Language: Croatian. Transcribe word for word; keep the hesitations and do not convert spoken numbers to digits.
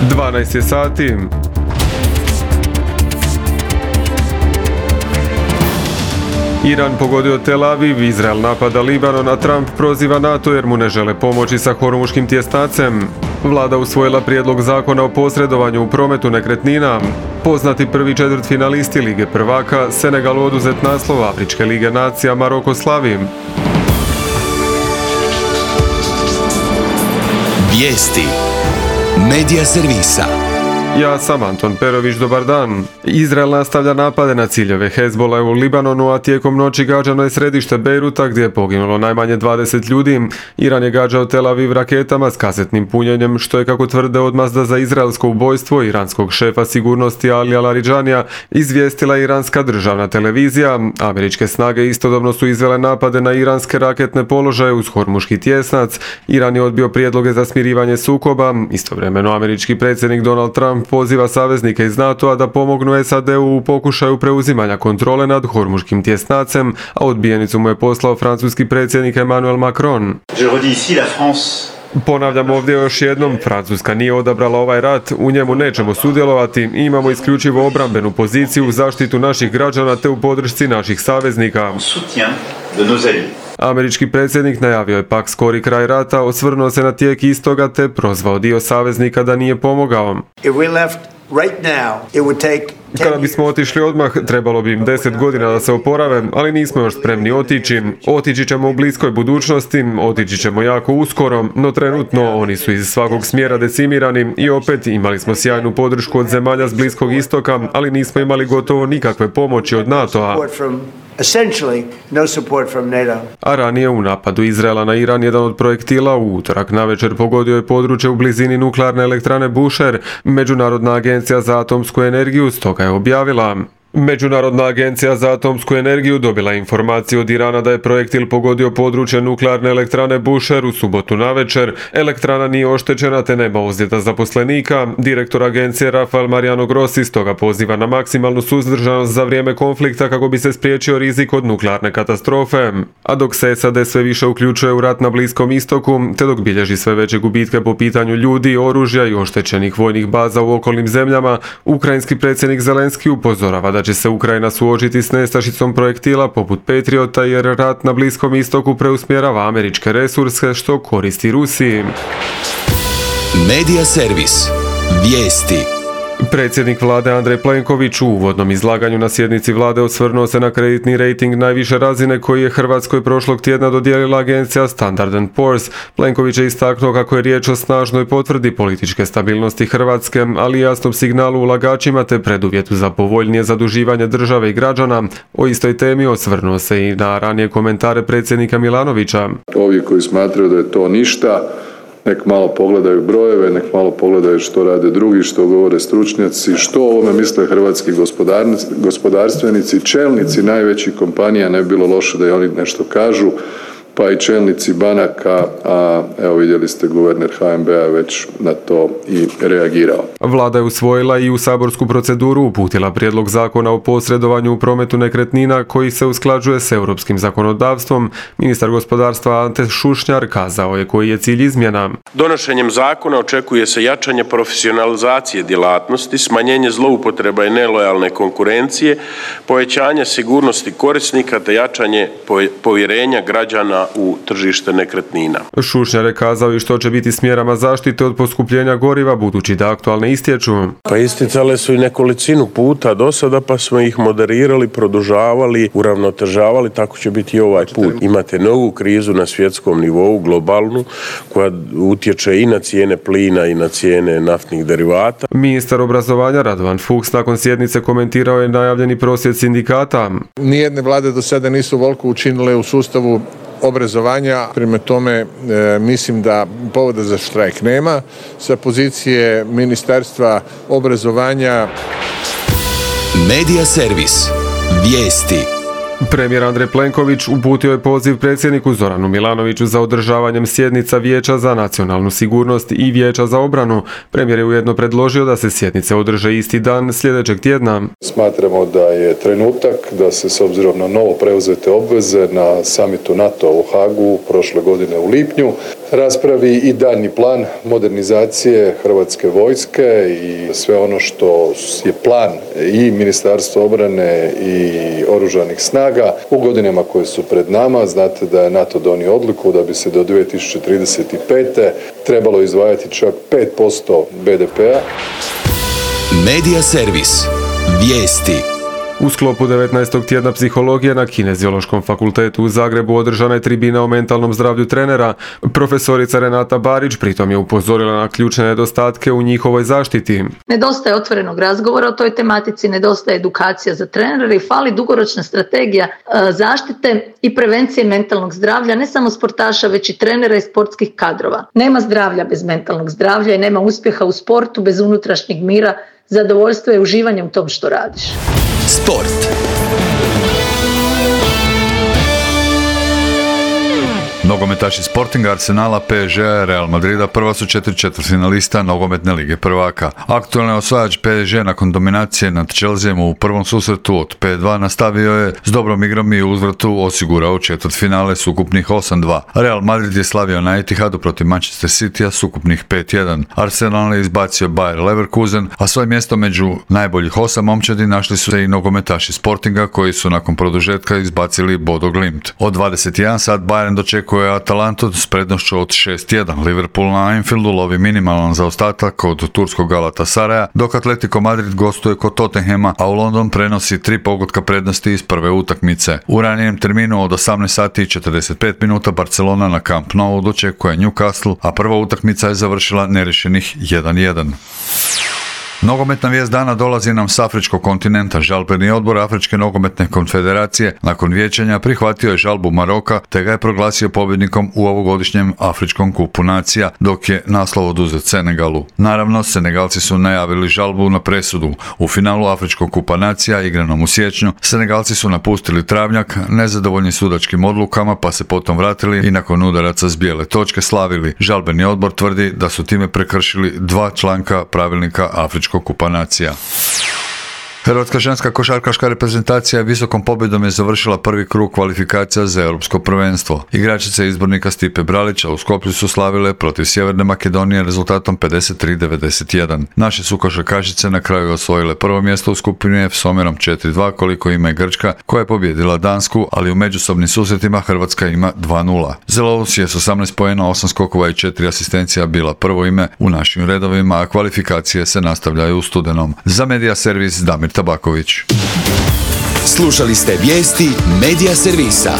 dvanaest je sati. Iran pogodio Tel Aviv, Izrael napada Libanon, a Trump proziva NATO jer mu ne žele pomoći sa Hormuškim tjesnacem. Vlada usvojila prijedlog zakona o posredovanju u prometu nekretnina. Poznati prvi četvrtfinalisti Lige prvaka, Senegal oduzet naslov Afričke lige nacija, Maroko slavi. Vijesti Medija servisa. Ja sam Anton Perović, dobar dan. Izrael nastavlja napade na ciljeve Hezbola u Libanonu, a tijekom noći gađano je središte Bejruta gdje je poginulo najmanje dvadeset ljudi. Iran je gađao Tel Aviv raketama s kasetnim punjenjem, što je, kako tvrde, odmazda za izraelsko ubojstvo iranskog šefa sigurnosti Alija Laridžanija, izvijestila iranska državna televizija. Američke snage istodobno su izvele napade na iranske raketne položaje uz Hormuški tjesnac. Iran je odbio prijedloge za smirivanje sukoba. Istovremeno američki predsjednik Donald Trump poziva saveznike iz NATO-a da pomognu S A D-u u pokušaju preuzimanja kontrole nad Hormuškim tjesnacem, a odbijenicu mu je poslao francuski predsjednik Emmanuel Macron. Ponavljam ovdje još jednom, Francuska nije odabrala ovaj rat, u njemu nećemo sudjelovati i imamo isključivo obrambenu poziciju u zaštitu naših građana te u podršci naših saveznika. Američki predsjednik najavio je pak skori kraj rata, osvrnuo se na tijek istoga te prozvao dio saveznika da nije pomogao. Kada bismo otišli odmah, trebalo bi im deset godina da se oporave, ali nismo još spremni otići. Otići ćemo u bliskoj budućnosti, otići ćemo jako uskoro, no trenutno oni su iz svakog smjera decimirani i opet imali smo sjajnu podršku od zemalja s Bliskog istoka, ali nismo imali gotovo nikakve pomoći od NATO-a. A ranije u napadu Izraela na Iran jedan od projektila u utorak navečer pogodio je područje u blizini nuklearne elektrane Bushehr. Međunarodna agencija za atomsku energiju stoga je objavila. Međunarodna agencija za atomsku energiju dobila informaciju od Irana da je projektil pogodio područje nuklearne elektrane Bushehr u subotu navečer. Elektrana nije oštećena te nema ozljeda zaposlenika. Direktor agencije Rafael Mariano Grossi stoga poziva na maksimalnu suzdržanost za vrijeme konflikta kako bi se spriječio rizik od nuklearne katastrofe. A dok se S A D sve više uključuje u rat na Bliskom istoku, te dok bilježi sve veće gubitke po pitanju ljudi, oružja i oštećenih vojnih baza u okolnim zemljama, ukrajinski predsjednik Zelenski upozorava da će se Ukrajina suočiti s nestašicom projektila poput Patriota jer rat na Bliskom istoku preusmjerava američke resurse što koristi Rusiji. Medija servis. Vijesti. Predsjednik vlade Andrej Plenković u uvodnom izlaganju na sjednici vlade osvrnuo se na kreditni rejting najviše razine koji je Hrvatskoj prošlog tjedna dodijelila agencija Standard and Poor's. Plenković je istaknuo kako je riječ o snažnoj potvrdi političke stabilnosti Hrvatske, ali i jasnom signalu ulagačima te preduvjetu za povoljnije zaduživanje države i građana. O istoj temi osvrnuo se i na ranije komentare predsjednika Milanovića. Ovi koji smatraju da je to ništa, nek malo pogledaju brojeve, nek malo pogledaju što rade drugi, što govore stručnjaci, što o ovome misle hrvatski gospodarstvenici, čelnici najvećih kompanija, ne bi bilo loše da i oni nešto kažu, pa i čelnici banaka, a evo vidjeli ste guverner H N B-a već na to i reagirao. Vlada je usvojila i u saborsku proceduru uputila prijedlog zakona o posredovanju u prometu nekretnina koji se usklađuje s europskim zakonodavstvom. Ministar gospodarstva Ante Šušnjar kazao je koji je cilj izmjena. Donošenjem zakona očekuje se jačanje profesionalizacije djelatnosti, smanjenje zloupotreba i nelojalne konkurencije, povećanje sigurnosti korisnika te jačanje povjerenja građana u tržište nekretnina. Šušnjar je kazao i što će biti s mjerama zaštite od poskupljenja goriva budući da aktualne istječu. Pa isticale su i nekolicinu puta do sada pa smo ih moderirali, produžavali, uravnotežavali, tako će biti i ovaj put. Imate novu krizu na svjetskom nivou, globalnu, koja utječe i na cijene plina i na cijene naftnih derivata. Ministar obrazovanja Radovan Fuchs nakon sjednice komentirao je najavljeni prosvjed sindikata. Nijedne vlade do sada nisu ovoliko učinile u sustavu obrazovanja, prema tome e, mislim da povoda za štrajk nema. Sa pozicije Ministarstva obrazovanja. Medija servis. Vijesti. Premijer Andrej Plenković uputio je poziv predsjedniku Zoranu Milanoviću za održavanjem sjednica Vijeća za nacionalnu sigurnost i Vijeća za obranu. Premijer je ujedno predložio da se sjednice održe isti dan sljedećeg tjedna. Smatramo da je trenutak da se s obzirom na novo preuzete obveze na samitu NATO u Hagu prošle godine u lipnju raspravi i daljnji plan modernizacije Hrvatske vojske i sve ono što je plan i Ministarstva obrane i Oružanih snaga u godinama koje su pred nama. Znate da je NATO donio odluku da bi se do dvije tisuće trideset pete trebalo izdvajati čak pet posto be de pea. Medija servis. Vijesti. U sklopu devetnaestog tjedna psihologije na Kineziološkom fakultetu u Zagrebu održana je tribina o mentalnom zdravlju trenera. Profesorica Renata Barić pritom je upozorila na ključne nedostatke u njihovoj zaštiti. Nedostaje otvorenog razgovora o toj tematici, nedostaje edukacija za trenere i fali dugoročna strategija zaštite i prevencije mentalnog zdravlja, ne samo sportaša, već i trenera i sportskih kadrova. Nema zdravlja bez mentalnog zdravlja i nema uspjeha u sportu bez unutrašnjeg mira, zadovoljstva i uživanja u tom što radiš. Sport. Nogometaši Sportinga, Arsenala, pe es ge-a, Real Madrida prva su četiri četvrtfinalista nogometne lige prvaka. Aktualni osvajač pe es ge nakon dominacije nad Chelseaom u prvom susretu od pet dva nastavio je s dobrom igrom i uzvratu osigurao četvrtfinale s ukupnih osam dva. Real Madrid je slavio na Etihadu protiv Manchester Citya s ukupnih pet jedan. Arsenal je izbacio Bayer Leverkusen, a svoje mjesto među najboljih osam momčadi našli su se i nogometaši Sportinga koji su nakon produžetka izbacili Bodo Glimt. Od dvadeset jedan sat Bayern dočekuje je Atalantu s prednošću od šest jedan. Liverpool na Anfieldu lovi minimalan zaostatak od turskog Galatasaraya, dok Atletico Madrid gostuje kod Tottenhama, a u London prenosi tri pogotka prednosti iz prve utakmice. U ranijem terminu od osamnaest sati i četrdeset pet minuta Barcelona na Camp Nou dočekuje Newcastle, a prva utakmica je završila nerješenih jedan jedan. Nogometna vijest dana dolazi nam s afričkog kontinenta. Žalbeni odbor Afričke nogometne konfederacije nakon vijećanja prihvatio je žalbu Maroka te ga je proglasio pobjednikom u ovogodišnjem Afričkom kupu nacija, dok je naslov oduzet Senegalu. Naravno, Senegalci su najavili žalbu na presudu. U finalu Afričkog kupa nacija igranom u siječnju, Senegalci su napustili travnjak nezadovoljni sudačkim odlukama pa se potom vratili i nakon udaraca s bijele točke slavili. Žalbeni odbor tvrdi da su time prekršili dva članka pravilnika Afričkog kupa nacija. Hrvatska ženska košarkaška reprezentacija visokom pobjedom je završila prvi krug kvalifikacija za europsko prvenstvo. Igračice izbornika Stipe Bralića u Skoplju su slavile protiv Sjeverne Makedonije rezultatom pedeset tri devedeset jedan. Naše su košarkašice na kraju osvojile prvo mjesto u skupini F s omjerom četiri dva koliko ima i Grčka koja je pobijedila Dansku, ali u međusobnim susretima Hrvatska ima dva nula. Zelovs je s osamnaest poena, osam skokova i četiri asistencija bila prvo ime u našim redovima, a kvalifikacije se nastavljaju u studenom. Za Medija servis Damir Tabaković. Slušali ste vijesti Medija servisa.